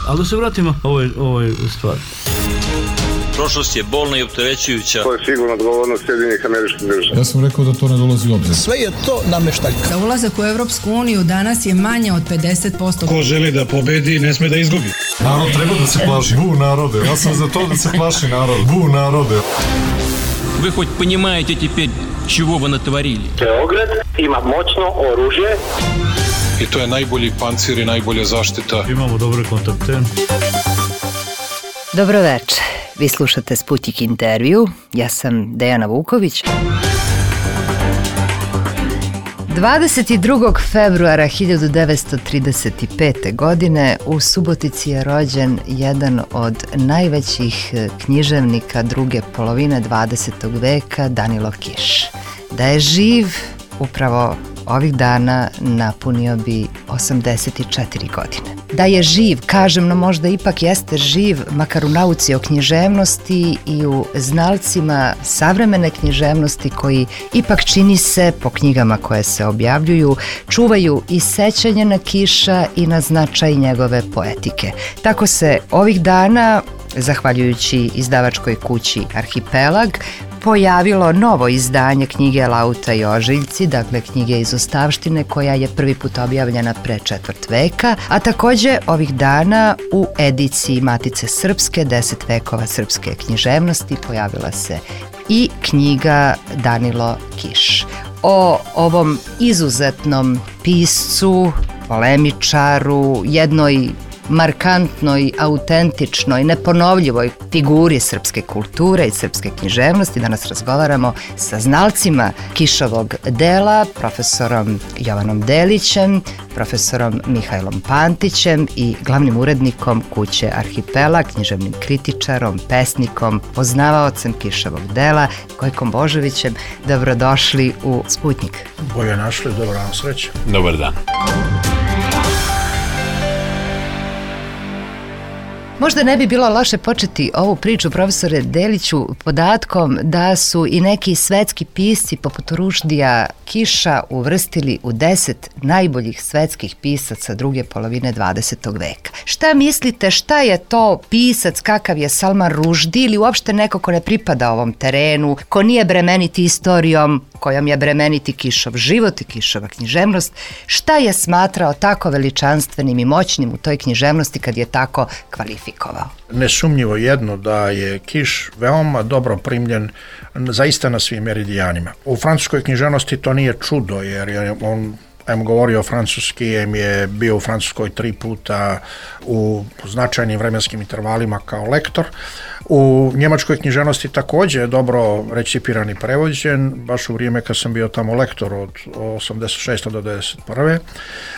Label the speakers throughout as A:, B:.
A: Ali da se vratimo ovoj stvari.
B: Prošlost je bolna i opterećujuća.
C: To je sigurno odgovornost Sjedinjenih Američkih Država.
D: Ja sam rekao da to ne dolazi u obzir.
E: Sve je to nameštaljka.
F: Za ulazak u Evropsku uniju danas je manje od 50%.
G: Ko želi da pobedi, ne sme da izgubi.
D: Narod treba da se plaši. Bu narode. Ja sam za to da se plaši narod. Bu narode.
H: Вы хоть понимаете теперь, чего вы натворили?
I: Beograd ima moćno oružje.
G: I to je najbolji pancir i najbolja zaštita.
A: Imamo dobre kontakte.
J: Dobro večer. Vi slušate Sputnik intervju. Ja sam Dejana Vuković. 22. februara 1935. godine u Subotici je rođen jedan od najvećih književnika druge polovine 20. veka, Danilo Kiš. Da je živ, upravo ovih dana napunio bi 84 godine. Da je živ, kažem, no možda ipak jeste živ, makar u nauci o književnosti i u znalcima savremene književnosti koji ipak čini se, po knjigama koje se objavljuju, čuvaju i sećanje na Kiša i na značaj njegove poetike. Tako se ovih dana, zahvaljujući izdavačkoj kući Arhipelag, pojavilo novo izdanje knjige Lauta i ožiljci, dakle knjige iz ostavštine koja je prvi put objavljena pre 4 veka, a takođe ovih dana u ediciji Matice Srpske 10 vekova srpske književnosti pojavila se i knjiga Danilo Kiš. O ovom izuzetnom piscu, polemičaru, jednoj markantnoj, autentičnoj, neponovljivoj figuri srpske kulture i srpske književnosti. Danas razgovaramo sa znalcima Kišovog dela, profesorom Jovanom Delićem, profesorom Mihajlom Pantićem i glavnim urednikom kuće Arhipelag, književnim kritičarom, pesnikom, poznavaocem Kišovog dela, Gojkom Božovićem. Dobrodošli u Sputnik.
E: Bolje našli, dobro vam sreće.
B: Dobar dan.
J: Možda ne bi bilo loše početi ovu priču, profesore Deliću, podatkom da su i neki svetski pisci poput Ruždija Kiša uvrstili u 10 najboljih svetskih pisaca druge polovine 20. veka. Šta mislite, šta je to pisac, kakav je Salman Ruždi ili uopšte neko ko ne pripada ovom terenu, ko nije bremeniti istorijom kojom je bremeniti Kišov život i Kišova književnost, šta je smatrao tako veličanstvenim i moćnim u toj književnosti kad je tako kvalifikovao?
E: Nesumnjivo jedno da je Kiš veoma dobro primljen zaista na svim meridijanima. U francuskoj književnosti to nije čudo jer je on govorio francuski, je bio u Francuskoj 3 puta u značajnim vremenskim intervalima kao lektor. U njemačkoj književnosti takođe je dobro recipiran i prevođen, baš u vrijeme kad sam bio tamo lektor od 86. do 91.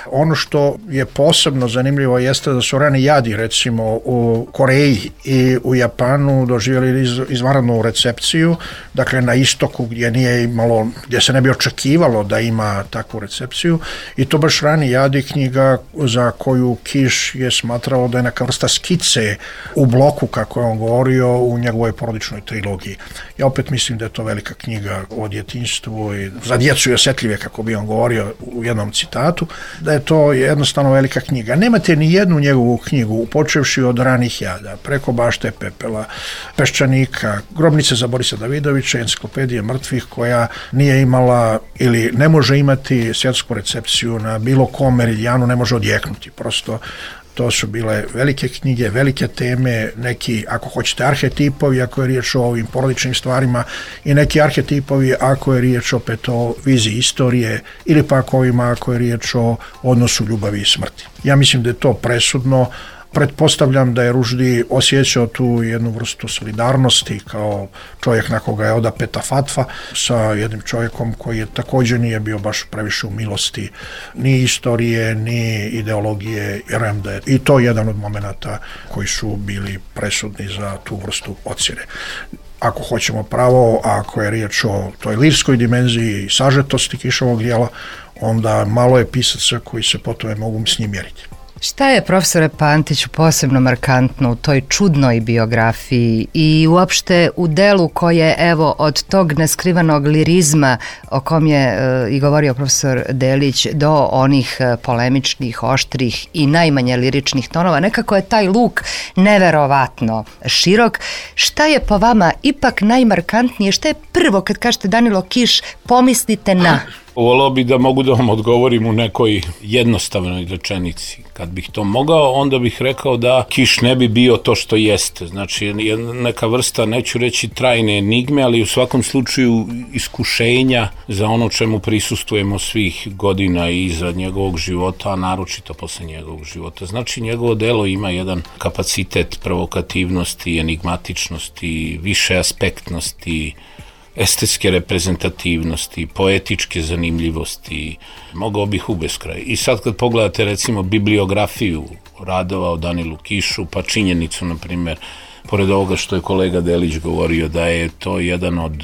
E: Ono što je posebno zanimljivo jeste da su rani jadi, recimo u Koreji i u Japanu doživjeli izvanrednu recepciju, dakle na istoku gdje se ne bi očekivalo da ima takvu recepciju, i to baš rani jadi, knjiga za koju Kiš je smatrao da je neka vrsta skice u bloku, kako je on govorio, u njegovoj porodičnoj trilogiji. Ja opet mislim da je to velika knjiga o djetinjstvu i za djecu i osjetljive, kako bi on govorio u jednom citatu, da je to jednostavno velika knjiga. Nemate ni jednu njegovu knjigu, počevši od ranih jada, preko Bašte pepela, Peščanika, Grobnice za Borisa Davidovića, Enciklopedije mrtvih, koja nije imala ili ne može imati svjetsku recepciju na bilo kom meridijanu, ne može odjeknuti. Prosto to su bile velike knjige, velike teme, neki, ako hoćete, arhetipovi, ako je riječ o ovim porodičnim stvarima, i neki arhetipovi ako je riječ opet o viziji istorije, ili pak ovima ako je riječ o odnosu ljubavi i smrti. Ja mislim da je to presudno. Pretpostavljam da je Ruždi osjećao tu jednu vrstu solidarnosti kao čovjek na koga je odapeta fatva sa jednim čovjekom koji je također nije bio baš previše u milosti ni istorije, ni ideologije. Vjerujem da je i to jedan od momenata koji su bili presudni za tu vrstu ocjene. Ako hoćemo pravo, ako je riječ o toj lirskoj dimenziji i sažetosti Kišovog djela, onda malo je pisaca koji se po tome mogu s njim mjeriti.
J: Šta je, profesore Pantiću, posebno markantno u toj čudnoj biografiji i uopšte u delu koje, evo, od tog neskrivanog lirizma o kom je i govorio profesor Delić do onih polemičnih, oštrih i najmanje liričnih tonova, nekako je taj luk neverovatno širok. Šta je po vama ipak najmarkantnije? Šta je prvo kad kažete Danilo Kiš, pomislite na?
K: Voleo bi da mogu da vam odgovorim u nekoj jednostavnoj rečenici. Kad bih to mogao, onda bih rekao da Kiš ne bi bio to što jeste. Znači, neka vrsta, neću reći trajne enigme, ali u svakom slučaju iskušenja za ono čemu prisustujemo svih godina iza njegovog života, a naročito posle njegovog života. Znači, njegovo delo ima jedan kapacitet provokativnosti, enigmatičnosti, višeaspektnosti, estetske reprezentativnosti, poetičke zanimljivosti, mogao bih u beskraj. I sad kad pogledate recimo bibliografiju radova o Danilu Kišu, pa činjenicu, na primjer, pored ovoga što je kolega Delić govorio, da je to jedan od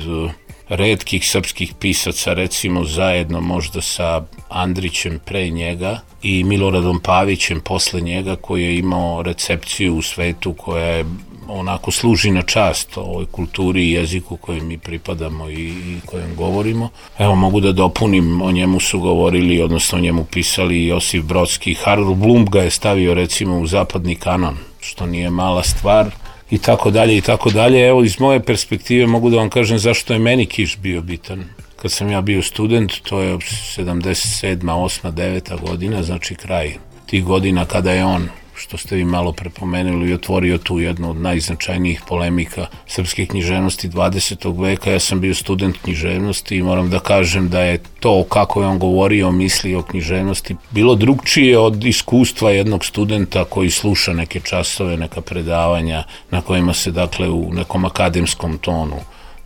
K: retkih srpskih pisaca, recimo zajedno možda sa Andrićem pre njega i Miloradom Pavićem posle njega, koji je imao recepciju u svetu koja je onako služi na čast ovoj kulturi i jeziku kojem mi pripadamo i kojem govorimo. Evo, mogu da dopunim, o njemu su govorili, odnosno o njemu pisali Josif Brodski. Harold Bloom ga je stavio recimo u zapadni kanon, što nije mala stvar, i tako dalje, i tako dalje. Evo, iz moje perspektive mogu da vam kažem zašto je meni Kiš bio bitan. Kad sam ja bio student, to je 77. 8. 9. godina, znači kraj tih godina kada je on, što ste vi malo prepomenuli, i otvorio tu jednu od najznačajnijih polemika srpske književnosti 20. veka. Ja sam bio student književnosti i moram da kažem da je to kako je on govorio, mislio o književnosti bilo drugčije od iskustva jednog studenta koji sluša neke časove, neka predavanja na kojima se, dakle, u nekom akademskom tonu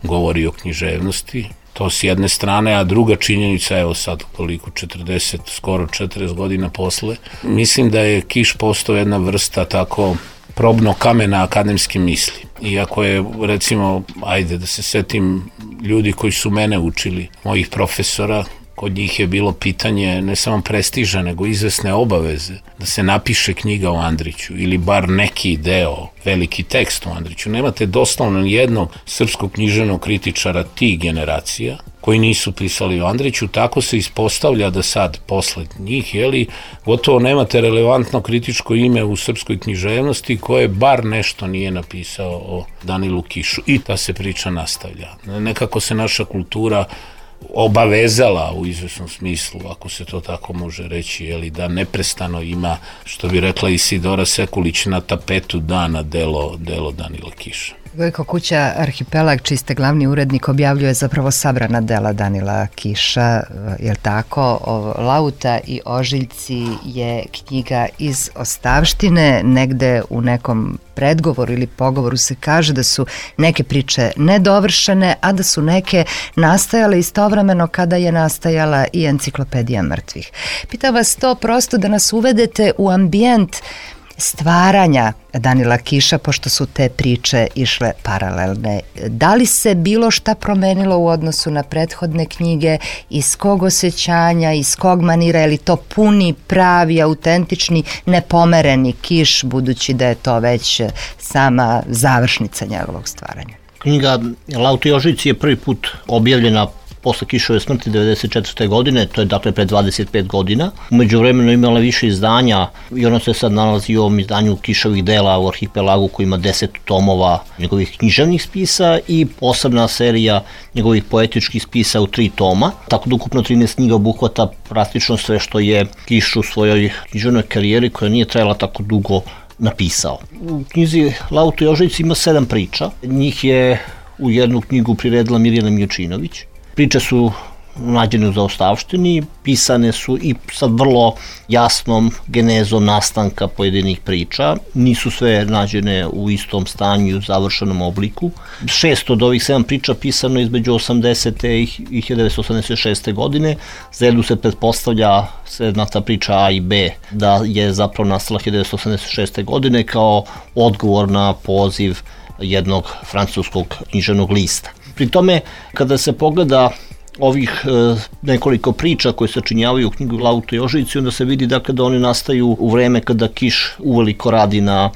K: govori o književnosti. To s jedne strane, a druga činjenica, evo sad koliko, 40, skoro 40 godina posle, mislim da je Kiš postao jedna vrsta tako probno kamena akademske misli. Iako je, recimo, ajde da se setim ljudi koji su mene učili, mojih profesora, kod njih je bilo pitanje ne samo prestiža, nego izvesne obaveze da se napiše knjiga o Andriću ili bar neki deo, veliki tekst o Andriću. Nemate doslovno jednog srpskog književnog kritičara tih generacija koji nisu pisali o Andriću. Tako se ispostavlja da sad, posle njih, gotovo nemate relevantno kritičko ime u srpskoj književnosti koje bar nešto nije napisao o Danilu Kišu. I ta se priča nastavlja. Nekako se naša kultura obavezala u izvesnom smislu, ako se to tako može reći, da neprestano ima, što bi rekla Isidora Sekulić, na tapetu dana delo Danila Kiša.
J: Gojko Kuća, Arhipelag, čiji ste glavni urednik, objavljuje zapravo sabrana dela Danila Kiša, je li tako? Lauta i ožiljci je knjiga iz ostavštine. Negde u nekom predgovoru ili pogovoru se kaže da su neke priče nedovršene, a da su neke nastajale istovremeno kada je nastajala i Enciklopedija mrtvih. Pitam vas to prosto da nas uvedete u ambijent stvaranja Danila Kiša, pošto su te priče išle paralelne. Da li se bilo šta promenilo u odnosu na prethodne knjige, iz kog osjećanja, iz kog manira, je li to puni, pravi, autentični, nepomereni Kiš, budući da je to već sama završnica njegovog stvaranja?
L: Knjiga Lauta i ožiljci je prvi put objavljena posle Kišove smrti 1994. godine, to je dakle pre 25 godina. Umeđu vremenu imala više izdanja i ono se sad nalazi u ovom izdanju Kišovih dela u Arhipelagu koji ima 10 tomova njegovih književnih spisa i posebna serija njegovih poetičkih spisa u 3 toma. Tako da ukupno 13 knjiga obuhvata praktično sve što je Kiš u svojoj književnoj karijeri, koja nije trajala tako dugo, napisao. U knjizi Lauta i ožiljci ima 7 priča. Njih je u jednu knjigu priredila Mirjana Miljučinović. Priče su nađene u zaostavštini, pisane su i sa vrlo jasnom genezom nastanka pojedinih priča. Nisu sve nađene u istom stanju i u završenom obliku. 6 od ovih 7 priča pisano između 80. i 1986. godine. Za jednu se pretpostavlja ta priča A i B da je zapravo nastala 1986. godine kao odgovor na poziv jednog francuskog književnog lista. Pri tome, kada se pogleda ovih nekoliko priča koje sačinjavaju u knjigu Lauta i Jožici, onda se vidi dakle da oni nastaju u vreme kada Kiš uveliko radi na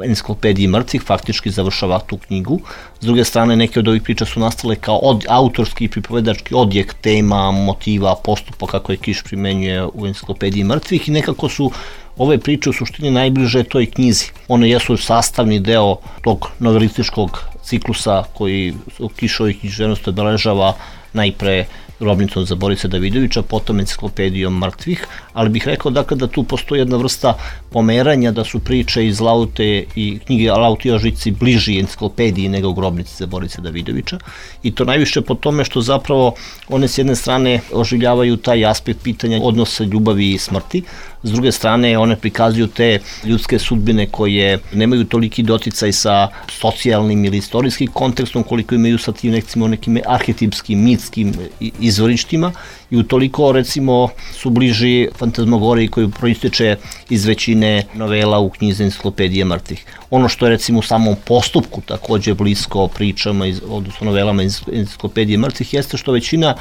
L: enciklopediji mrtvih, faktički završava tu knjigu. S druge strane, neke od ovih priča su nastale kao autorski i pripovedački odjek tema, motiva, postupaka koje Kiš primenjuje u enciklopediji mrtvih i nekako su ove priče u suštini najbliže toj knjizi. One jesu sastavni deo tog novelističkog ciklusa koji u Kišovoj književnosti obeležava najpre grobnicom za Borisa Davidovića, potom enciklopedijom mrtvih, ali bih rekao dakle da tu postoji jedna vrsta pomeranja, da su priče iz Laute i knjige Lauti i Jožici bliži enciklopediji nego grobnici za Borisa Davidovića i to najviše po tome što zapravo one s jedne strane oživljavaju taj aspekt pitanja odnosa ljubavi i smrti, s druge strane one prikazuju te ljudske sudbine koje nemaju toliki doticaj sa socijalnim ili istorijskim kontekstom koliko imaju sa tim nekim arhetipskim, mitskim izvorištima i utoliko recimo su bliži fantazmagoriji koju proističe iz većine novela u knjizi Enciklopedije mrtvih. Ono što je recimo u samom postupku takođe blisko pričama, odnosno novelama Enciklopedije mrtvih, jeste što većina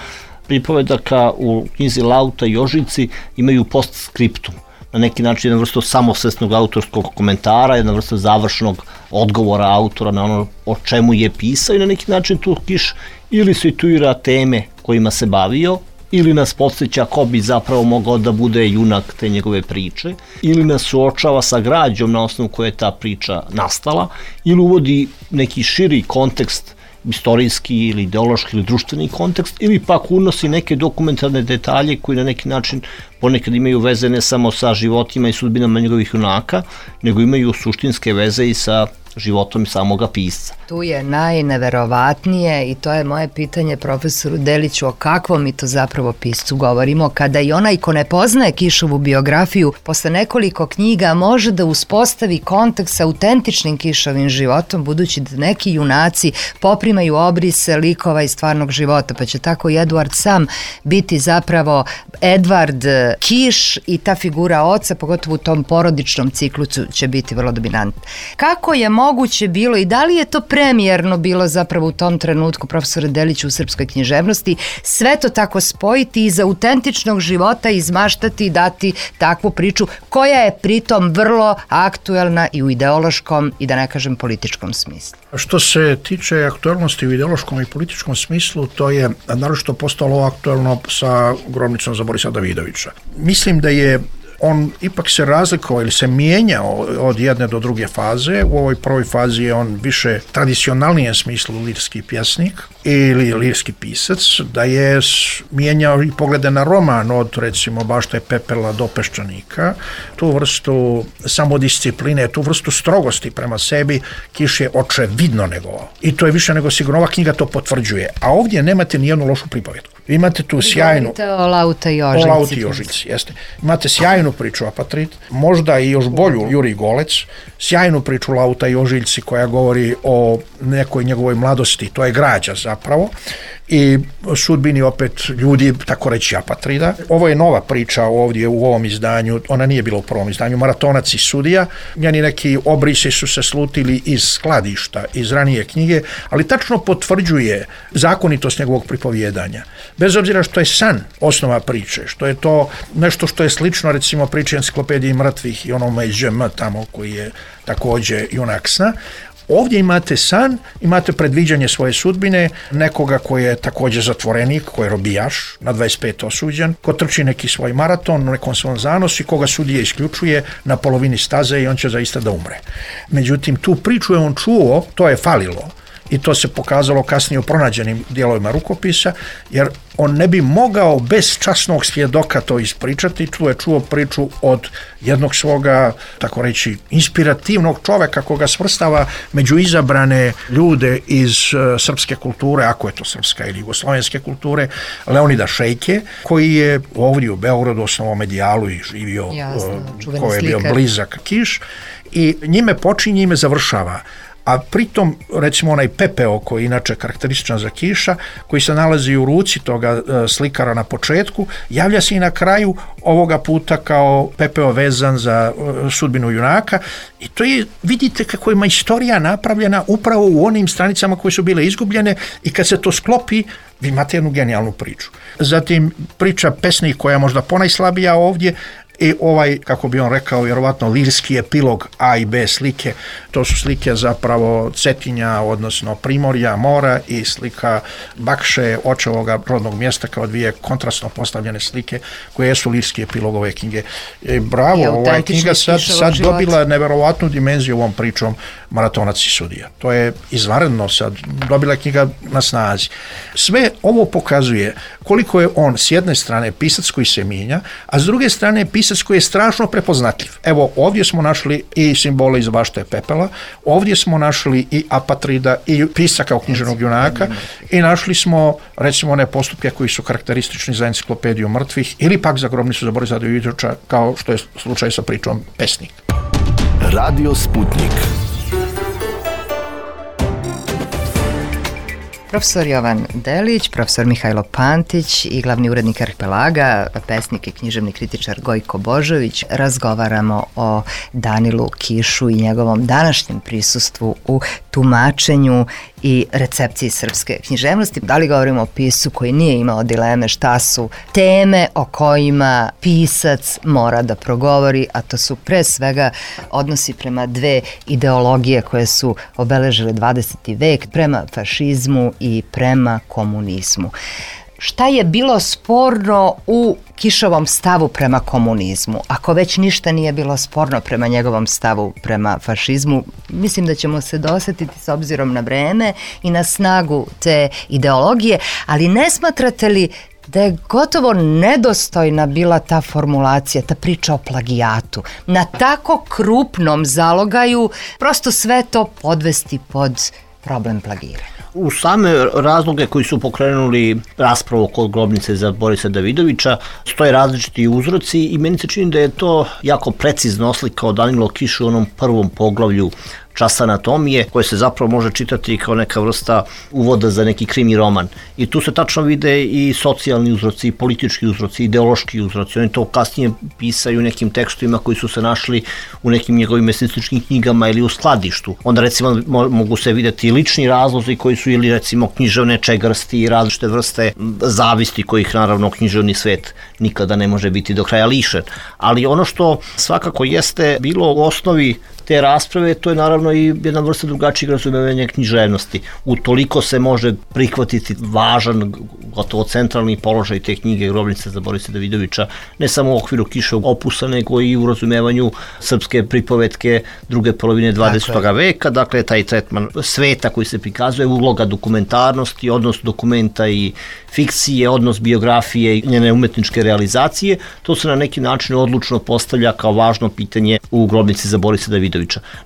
L: pripovedaka u knjizi Lauta i Jožici imaju postskriptum. Na neki način jedna vrsta samosvesnog autorskog komentara, jedna vrsta završnog odgovora autora na ono o čemu je pisao i na neki način tu Kiš ili situira teme kojima se bavio, ili nas podsjeća ko bi zapravo mogao da bude junak te njegove priče, ili nas suočava sa građom na osnovu koje je ta priča nastala, ili uvodi neki širi kontekst, istorijski ili ideološki ili društveni kontekst, ili pak unosi neke dokumentarne detalje koji na neki način ponekad imaju veze ne samo sa životima i sudbinama njegovih junaka, nego imaju suštinske veze i sa životom samoga pisca.
J: Tu je najneverovatnije i to je moje pitanje profesoru Deliću, o kakvom mi to zapravo piscu govorimo, kada i onaj ko ne poznaje Kišovu biografiju posle nekoliko knjiga može da uspostavi kontakt sa autentičnim Kišovim životom, budući da neki junaci poprimaju obrise likova iz stvarnog života, pa će tako i Eduard sam biti zapravo Edvard Kiš i ta figura oca, pogotovo u tom porodičnom ciklusu, će biti vrlo dominantna. Kako je moguće bilo i da li je to premijerno bilo zapravo u tom trenutku, profesore Deliću, u srpskoj književnosti, sve to tako spojiti iz autentičnog života izmaštati i dati takvu priču koja je pritom vrlo aktuelna i u ideološkom i da ne kažem političkom smislu?
E: Što se tiče aktuelnosti u ideološkom i političkom smislu, to je naročito postalo aktuelno sa grobnicom za Borisa Davidovića. Mislim da je on ipak se razlikovao ili se mijenjao od jedne do druge faze. U ovoj prvoj fazi je on više tradicionalnijem smislu lirski pjesnik ili lirski pisac, da je mijenjao i poglede na roman od recimo Bašta i pepela do Peščanika. Tu vrstu samodiscipline, tu vrstu strogosti prema sebi Kiš je očevidno negovao. I to je više nego sigurno, ova knjiga to potvrđuje. A ovdje nemate nijednu lošu pripovetku. Imate tu sjajnu...
J: Govorite o Lauta i Jožici.
E: O Lauti i Jožici, jeste. Imate sjajnu priču Apatrid, možda i još bolju Jurij Golec, sjajnu priču Lauta i Jožici koja govori o nekoj njegovoj mladosti, to je građa zapravo, i sudbini opet ljudi, tako reći, Apatrida. Ovo je nova priča ovdje u ovom izdanju, ona nije bila u prvom izdanju, Maratonac i sudija. Njeni neki obrisi su se slutili iz skladišta, iz ranije knjige, ali tačno potvrđuje zakonitost njegovog pripovjedanja. Bez obzira što je san osnova priče, što je to nešto što je slično recimo priči Enciklopediji mrtvih i onome iz ŽM tamo koji je takođe junak sna. Ovdje imate san, imate predviđanje svoje sudbine, nekoga koji je također zatvorenik, koji je robijaš, na 25 osuđen, ko trči neki svoj maraton u nekom svom zanosu i koga sudija isključuje na polovini staze i on će zaista da umre. Međutim, tu priču je on čuo, to je falilo. I to se pokazalo kasnije u pronađenim dijelovima rukopisa, jer on ne bi mogao bez časnog svjedoka to ispričati. Tu je čuo priču od jednog svoga, tako reći, inspirativnog čoveka koga svrstava među izabrane ljude iz srpske kulture, ako je to srpska ili jugoslovenske kulture, Leonida Šejke, koji je ovdje u Beogradu osnovao Medijalu i živio, koji je bio blizak Kiš, i njime počinje, njime završava. a pritom recimo onaj pepeo koji je inače karakterističan za Kiša, koji se nalazi u ruci toga slikara na početku, javlja se i na kraju ovoga puta kao pepeo vezan za sudbinu junaka i to je, vidite kako je istorija napravljena upravo u onim stranicama koje su bile izgubljene i kad se to sklopi, vi imate jednu genijalnu priču. Zatim priča pesnik koja je možda ponajslabija ovdje i ovaj, kako bi on rekao, vjerovatno lirski epilog A i B slike, to su slike zapravo Cetinja, odnosno Primorja, mora i slika Bakše, očevoga rodnog mjesta kao dvije kontrastno postavljene slike koje su lirski epilog ove knjige. Bravo, ova knjiga sad dobila neverovatnu dimenziju ovom pričom Maratonac i sudija. To je izvanredno sad, dobila je knjiga na snazi. Sve ovo pokazuje koliko je on s jedne strane pisac koji se mijenja, a s druge strane pisac koji je strašno prepoznatljiv. Evo, ovdje smo našli i simbole iz Bašte pepela, ovdje smo našli i apatrida i pisca kao književnog junaka i našli smo recimo one postupke koji su karakteristični za enciklopediju mrtvih ili pak za grobnicu za Borisa Davidovića, kao što je slučaj sa pričom Pesnik.
M: Radio Sputnik.
J: Profesor Jovan Delić, profesor Mihajlo Pantić i glavni urednik Arhipelaga, pesnik i književni kritičar Gojko Božović, razgovaramo o Danilu Kišu i njegovom današnjem prisustvu u tumačenju i recepciji srpske književnosti. Da li govorimo o piscu koji nije imao dileme šta su teme o kojima pisac mora da progovori, a to su pre svega odnosi prema dve ideologije koje su obeležile 20. vek, prema fašizmu i prema komunizmu. Šta je bilo sporno u Kišovom stavu prema komunizmu? Ako već ništa nije bilo sporno prema njegovom stavu prema fašizmu, mislim da ćemo se dosjetiti s obzirom na vreme i na snagu te ideologije, ali ne smatrate li da je gotovo nedostojna bila ta formulacija, ta priča o plagijatu? Na tako krupnom zalogaju prosto sve to podvesti pod problem plagiranja.
L: U same razloge koji su pokrenuli raspravu kod grobnice za Borisa Davidovića stoje različiti uzroci i meni se čini da je to jako precizno oslikao Danilo Kiš u onom prvom poglavlju Čas anatomije, koje se zapravo može čitati kao neka vrsta uvoda za neki krimi roman. I tu se tačno vide i socijalni uzroci, i politički uzroci, ideološki uzroci. Oni to kasnije pisaju u nekim tekstovima koji su se našli u nekim njegovim eseističkim knjigama ili u skladištu. Onda recimo mogu se vidjeti lični razlozi koji su ili recimo književne čegrsti i različite vrste zavisti kojih naravno književni svet nikada ne može biti do kraja lišen. Ali ono što svakako jeste bilo u osnovi te rasprave, to je naravno i jedna vrsta drugačijeg razumevanja književnosti. Utoliko se može prihvatiti važan, gotovo centralni položaj te knjige Grobnica za Borisa Davidovića, ne samo u okviru Kiševog opusa, nego i u razumevanju srpske pripovetke druge polovine 20. veka, dakle taj tretman sveta koji se prikazuje, uloga dokumentarnosti, odnos dokumenta i fikcije, odnos biografije i njene umetničke realizacije, to se na neki način odlučno postavlja kao važno pitanje u Grobnici za Borisa Davidovića.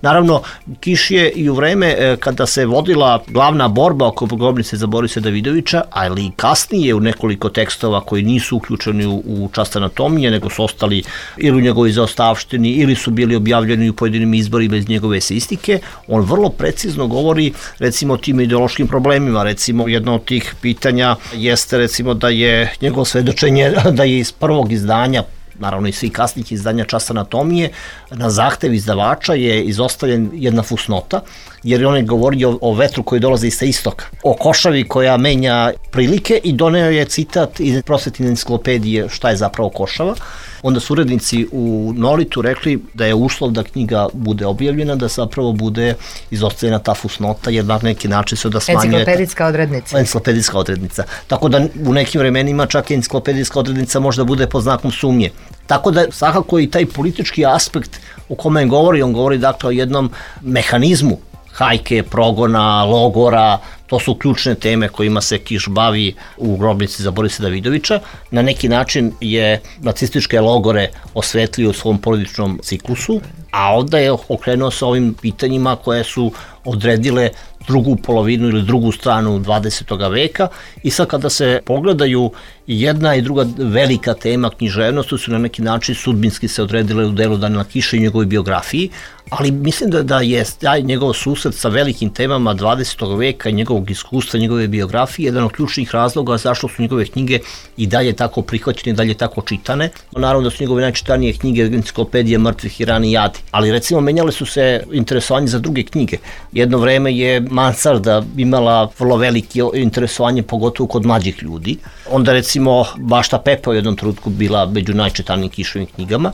L: Naravno, Kiš je i u vreme kada se vodila glavna borba oko Grobnice za Borisa Davidovića, ali i kasnije u nekoliko tekstova koji nisu uključeni u Čast anatomije, nego su ostali ili u njegovoj zaostavštini ili su bili objavljeni u pojedinim izborima iz njegove eseistike, on vrlo precizno govori recimo o tim ideološkim problemima. Recimo, jedno od tih pitanja jeste recimo da je njegovo svedočenje da je iz prvog izdanja, naravno i svih kasnih izdanja Časa anatomije, na zahtev izdavača je izostavljen jedna fusnota, jer on je govorio o vetru koji dolazi sa istoka, o košavi koja menja prilike i doneo je citat iz Prosvetne enciklopedije šta je zapravo košava. Onda su urednici u Nolitu rekli da je uslov da knjiga bude objavljena, da zapravo bude izostavljena ta fusnota, jer na neki način se da smanjuje...
J: Enciklopedijska odrednica.
L: Enciklopedijska odrednica. Tako da u nekim vremenima čak enciklopedijska odrednica možda bude pod znakom sumnje. Tako da svakako i taj politički aspekt o kome on govori dakle o jednom mehanizmu hajke, progona, logora, To su ključne teme kojima se Kiš bavi u Grobnici za Borisa Davidovića. Na neki način je nacističke logore osvetlio u svom porodičnom ciklusu, a onda je okrenuo se ovim pitanjima koje su odredile drugu polovinu ili drugu stranu 20. veka i sad kada se pogledaju jedna i druga velika tema književnosti su na neki način sudbinski se odredile u delu Danila Kiša i njegovoj biografiji, ali mislim da je taj njegov susret sa velikim temama 20. veka i njegovog iskustva, njegove biografije jedan od ključnih razloga zašto su njegove knjige i dalje tako prihvaćene i dalje tako čitane. Naravno da su njegove najčitanije knjige Enciklopedija mrtvih i rani jadi, ali recimo menjale su se interesovanje za druge knjige. Jedno vreme je Mansarda imala vrlo veliko interesovanje, pogotovo kod mlađih ljudi. Onda recimo Bašta Pepa u jednom trenutku bila među najčitanijim Kišovim knjigama.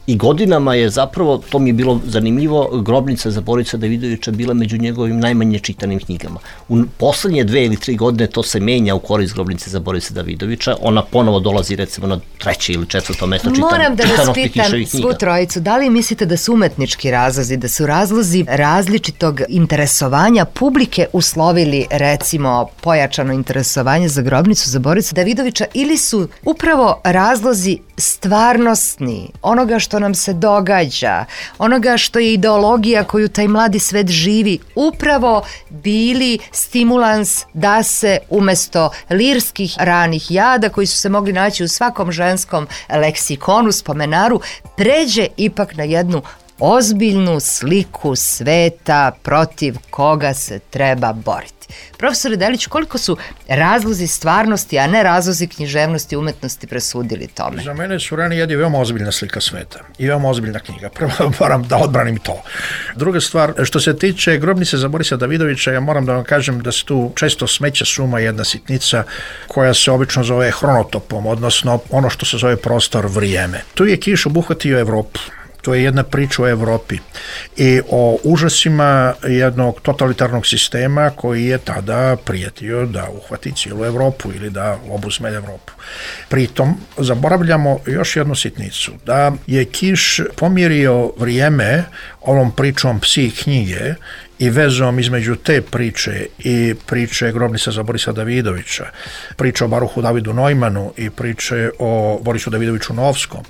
L: I godinama je zapravo, to mi je bilo zanimljivo, Grobnica za Borisa Davidovića bila među njegovim najmanje čitanim knjigama. U poslednje 2 ili 3 godine to se menja u korist Grobnice za Borisa Davidovića. Ona ponovo dolazi recimo na 3. ili 4. mesto čitanosti.
J: Moram da vas pitam svu trojicu, da li mislite da su umetnički razlozi, da su razlozi različitog interesovanja publike uslovili recimo pojačano interesovanje za Grobnicu za Borisa Davidovića ili su upravo razlozi stvarnosni, onoga što nam se događa, onoga što je ideologija koju taj mladi svet živi, upravo bili stimulans da se umesto lirskih ranih jada koji su se mogli naći u svakom ženskom leksikonu, spomenaru, pređe ipak na jednu ozbiljnu sliku sveta protiv koga se treba boriti. Profesore Delić, koliko su razlozi stvarnosti, a ne razlozi književnosti i umetnosti presudili tome?
E: Za mene su Rani jedi veoma ozbiljna slika sveta i veoma ozbiljna knjiga. Prvo moram da odbranim to. Druga stvar, što se tiče Grobnice za Borisa Davidovića, ja moram da vam kažem da se tu često smeća suma jedna sitnica koja se obično zove hronotopom, odnosno ono što se zove prostor vrijeme. Tu je Kiš obuhvatio Evropu. To je jedna priča o Evropi i o užasima jednog totalitarnog sistema koji je tada prijetio da uhvati cijelu Evropu ili da obuzme Evropu. Pritom zaboravljamo još jednu sitnicu, da je Kiš pomjerio vrijeme ovom pričom Psi knjige i vezom između te priče i priče Grobnica za Borisa Davidovića, priče o Baruhu Davidu Neumanu i priče o Borisu Davidoviću Novskom.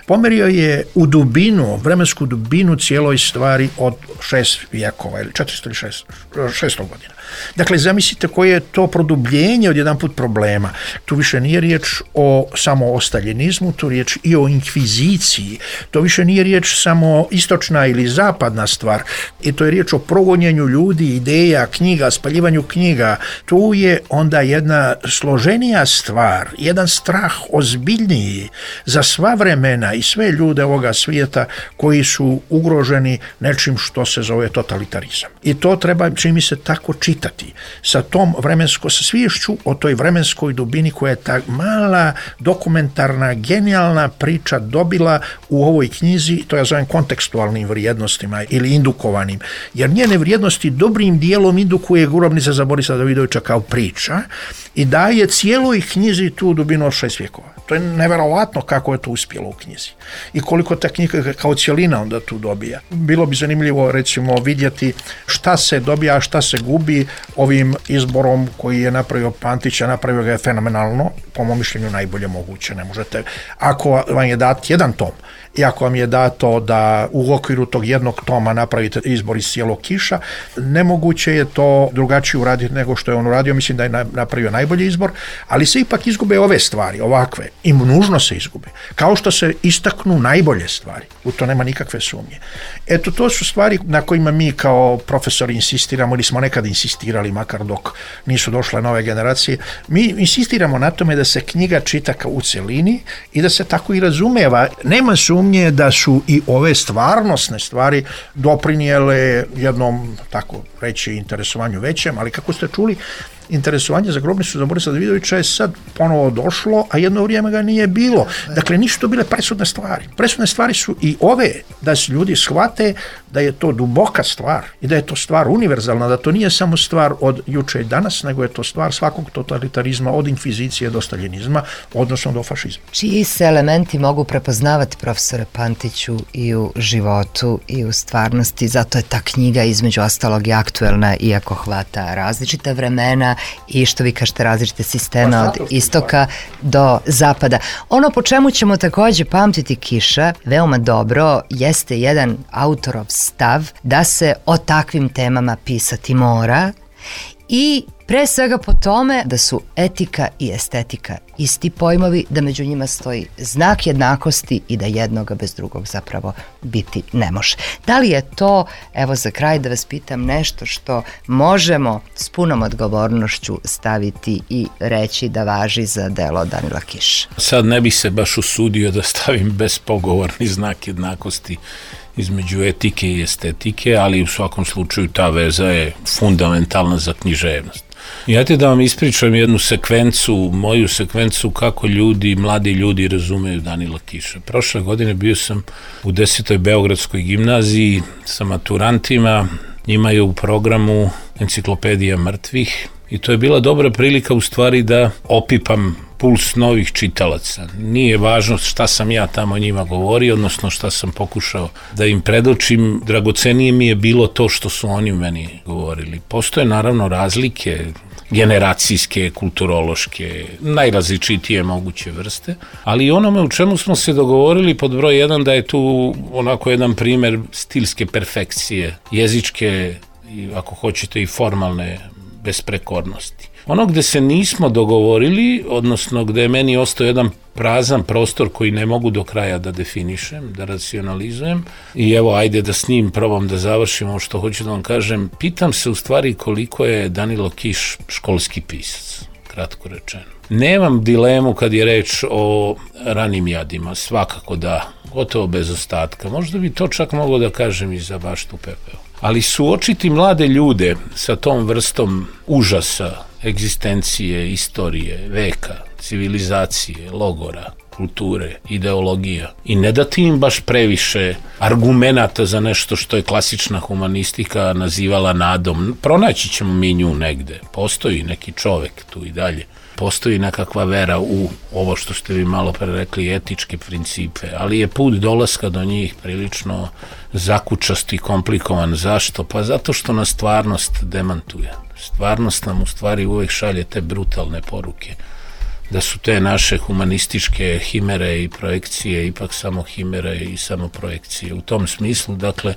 E: Pomerio je u dubinu, vremensku dubinu cijeloj stvari od 6 vijekova ili 400 ili 600 godina. Dakle, zamislite koje je to produbljenje od jedan put problema. Tu više nije riječ o samo o staljenizmu, tu riječ i o inkviziciji. To više nije riječ samo istočna ili zapadna stvar. I to je riječ o progonjenju ljudi, ideja, knjiga, spaljivanju knjiga. Tu je onda jedna složenija stvar, jedan strah ozbiljniji za sva vremena i sve ljude ovoga svijeta koji su ugroženi nečim što se zove totalitarizam. I to treba, čini mi se, tako čitati. Sa tom sa sviješću o toj vremenskoj dubini koja je ta mala, dokumentarna, genijalna priča dobila u ovoj knjizi, to ja zovem kontekstualnim vrijednostima ili indukovanim, jer njene vrijednosti dobrim dijelom indukuje Grobnica za Borisa Davidovića kao priča i daje cijeloj knjizi tu dubinu od 6 vijekova. To je neverovatno kako je to uspjelo u knjizi i koliko ta knjiga kao cijelina onda tu dobija. Bilo bi zanimljivo recimo vidjeti šta se dobija, a šta se gubi ovim izborom koji je napravio Pantić, a napravio ga je fenomenalno, po mom mišljenju najbolje moguće. Ne možete, ako vam je dat jedan tom i ako vam je dato da u okviru tog jednog toma napravite izbor iz cijelog Kiša, nemoguće je to drugačije uraditi nego što je on uradio. Mislim da je napravio najbolji izbor, ali se ipak izgube ove stvari, ovakve, i nužno se izgube. Kao što se istaknu najbolje stvari, u to nema nikakve sumnje. Eto, to su stvari na kojima mi kao profesori insistiramo ili smo nekad insistirali, makar dok nisu došle nove generacije. Mi insistiramo na tome da se knjiga čita kao u celini i da se tako i razumeva. Nema sumnje da su i ove stvarnosne stvari doprinijele jednom, tako reći, interesovanju većem, ali kako ste čuli, interesovanje za grobnicu za Borisa Davidovića je sad ponovo došlo, a jedno vrijeme ga nije bilo. Dakle, nisu to bile presudne stvari. Presudne stvari su i ove, da se ljudi shvate da je to duboka stvar i da je to stvar univerzalna, da to nije samo stvar od juče i danas, nego je to stvar svakog totalitarizma, od inkvizicije do staljinizma, odnosno do fašizma.
J: Čiji se elementi mogu prepoznavati, profesore Pantiću, i u životu i u stvarnosti? Zato je ta knjiga između ostalog i aktuelna, iako hvata različita vremena i, što vi kažete, različite sisteme od istoka do zapada. Ono po čemu ćemo takođe pamtiti Kiša veoma dobro jeste jedan autorov stav da se o takvim temama pisati mora, i pre svega po tome da su etika i estetika isti pojmovi, da među njima stoji znak jednakosti i da jednoga bez drugog zapravo biti ne može. Da li je to, evo za kraj da vas pitam, nešto što možemo s punom odgovornošću staviti i reći da važi za delo Danila Kiša?
K: Sad ne bih se baš usudio da stavim bespogovorni znak jednakosti između etike i estetike, ali u svakom slučaju ta veza je fundamentalna za književnost. I ajte da vam ispričam jednu sekvencu, moju sekvencu kako mladi ljudi razumeju Danila Kiša. Prošle godine bio sam u 10. Beogradskoj gimnaziji sa maturantima, njima je u programu Enciklopedija mrtvih i to je bila dobra prilika u stvari da opipam puls novih čitalaca. Nije važno šta sam ja tamo njima govorio, odnosno šta sam pokušao da im predočim. Dragocenije mi je bilo to što su oni meni govorili. Postoje naravno razlike generacijske, kulturološke, najrazličitije moguće vrste, ali onome u čemu smo se dogovorili pod broj 1 da je tu onako jedan primer stilske perfekcije, jezičke i ako hoćete i formalne besprekornosti. Ono gde se nismo dogovorili, odnosno gde je meni ostao jedan prazan prostor koji ne mogu do kraja da definišem, da racionalizujem, i evo ajde da s njim probam da završimo što hoću da vam kažem, pitam se u stvari koliko je Danilo Kiš školski pisac, kratko rečeno. Nemam dilemu kad je reč o ranim jadima, svakako da, gotovo bez ostatka, možda bi to čak mogao da kažem i za Baštu pepeo. Ali suočiti mlade ljude sa tom vrstom užasa, egzistencije, istorije, veka, civilizacije, logora, kulture, ideologija i ne dati im baš previše argumenata za nešto što je klasična humanistika nazivala nadom. Pronaći ćemo mi nju negde. Postoji neki čovek tu i dalje. Postoji nekakva vera u ovo što ste vi malo pre rekli, etičke principe, ali je put dolaska do njih prilično zakučast i komplikovan. Zašto? Pa zato što nas stvarnost demantuje. Stvarnost nam u stvari uvek šalje te brutalne poruke, da su te naše humanističke himere i projekcije ipak samo himere i samo projekcije. U tom smislu, dakle,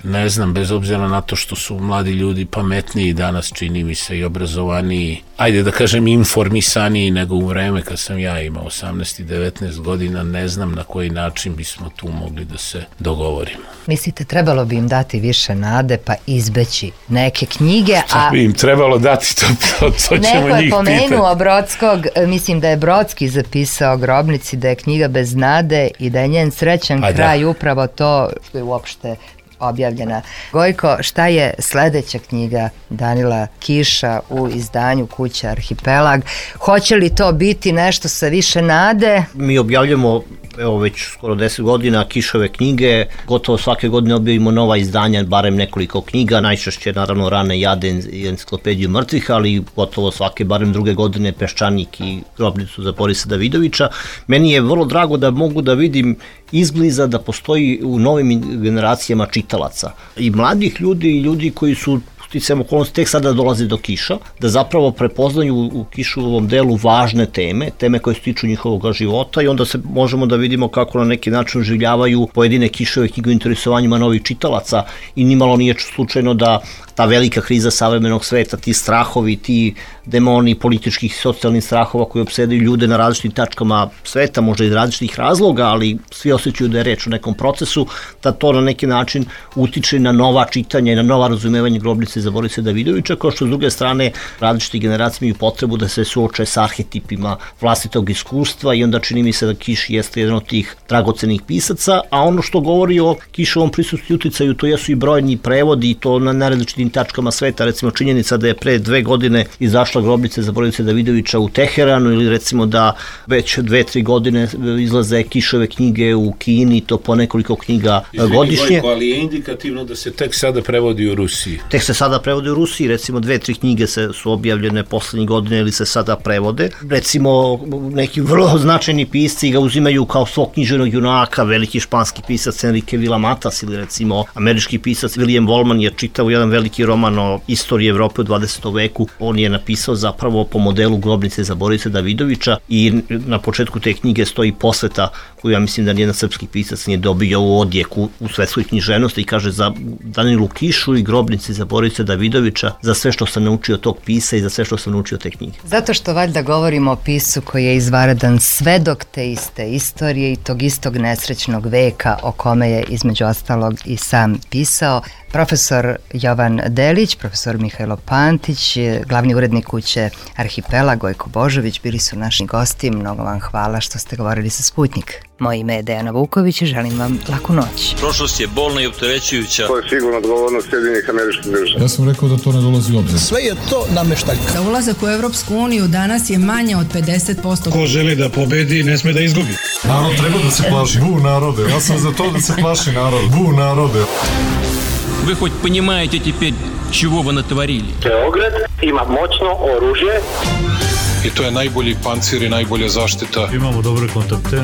K: ne znam, bez obzira na to što su mladi ljudi pametniji danas, čini mi se, i obrazovaniji, ajde da kažem informisaniji nego u vreme kad sam ja imao 18 i 19 godina, ne znam na koji način bismo tu mogli da se dogovorimo.
J: Mislite, trebalo bi im dati više nade pa izbeći neke knjige,
K: a... bi im trebalo dati, to ćemo njih pitati.
J: Neko je pomenuo Brodskog, mislim da je Brodski zapisao Grobnici da je knjiga bez nade i da je njen srećan kraj upravo to što je uopšte objavljena. Gojko, šta je sledeća knjiga Danila Kiša u izdanju Kuća Arhipelag? Hoće li to biti nešto sa više nade?
L: Mi objavljamo evo već skoro 10 godina Kišove knjige, gotovo svake godine objavimo nova izdanja, barem nekoliko knjiga, najčešće naravno Rane jade i Enciklopediju mrtvih, ali gotovo svake, barem druge godine Peščanik i Grobnicu za Borisa Davidovića. Meni je vrlo drago da mogu da vidim izbliza da postoji u novim generacijama čitalaca i mladih ljudi i ljudi koji su sticajem okolnosti tek sada dolaze do Kiša, da zapravo prepoznaju u Kišovom delu važne teme koje se tiču njihovog života i onda se možemo da vidimo kako na neki način oživljavaju pojedine Kišove knjige u interesovanjima novih čitalaca i nimalo nije slučajno da ta velika kriza savremenog sveta, ti strahovi, ti demoni političkih i socijalnih strahova koji opsedaju ljude na različitim tačkama sveta, možda iz različitih razloga, ali svi osjećaju da je reč o nekom procesu, da to na neki način utiče na nova čitanja i na nova razumevanje Grobnice Grobnice za Borisa Davidovića, kao što s druge strane različite generacije imaju potrebu da se suoče sa arhetipima vlastitog iskustva i onda čini mi se da Kiš jeste jedan od tih dragocenih pisaca, a ono što govori o Kišovom prisustvu i uticaju, to jesu i brojni prevodi i to na različitim tačkama sveta, recimo činjenica da je pre 2 godine izašla Grobnice za Borisa Davidovića u Teheranu ili recimo da već 2-3 godine izlaze Kišove knjige u Kini, to po nekoliko knjiga godišnje.
K: Ali je indikativno da se tek sada prevodi u Rusiji.
L: Tek se sada prevodi u Rusiji, recimo 2-3 knjige su objavljene poslednjih godine ili se sada prevode. Recimo neki vrlo značajni pisci ga uzimaju kao svog književnog junaka, veliki španski pisac Enrique Villamatas ili recimo američki pisac William Wallman je čitao jedan veliki roman o istoriji Evrope u 20. veku. On je napisao zapravo po modelu Grobnice za Borisa Davidovića i na početku te knjige stoji posveta koju ja mislim da nijedan srpski pisac nije dobio u odjeku u svetskoj književnosti i kaže za Danilu Kišu i Grobnici za Borisa Davidovića za sve što sam naučio tog pisa i za sve što sam naučio te knjige.
J: Zato što valjda govorimo o pisu koji je izvanredan svedok te iste istorije i tog istog nesrećnog veka o kome je između ostalog i sam pisao. Profesor Jovan Delić, profesor Mihajlo Pantić, glavni urednik kuće Arhipelag Gojko Božović bili su naši gosti. Mnogo vam hvala što ste govorili sa Sputnik. Moje ime je Dejana Vuković i želim vam laku noć.
B: Prošlost je bolna i opterećujuća.
C: To je sigurno odgovornost Sjedinjenih Američkih Država.
D: Ja sam rekao da to ne dolazi u obzir.
N: Sve je to nameštaljka.
F: Za ulazak u Evropsku uniju danas je manje od 50%.
O: Ko želi da pobedi, ne sme da izgubi.
D: Narod treba da se plaši. Bu narode. Ja sam za to da se plaši narod. Bu narode.
H: Вы хоть понимаете теперь, чего вы натворили?
I: Beograd ima moćno oružje.
G: I to je najbolji pancir i najbolja zaštita.
A: Imamo dobre kontakte.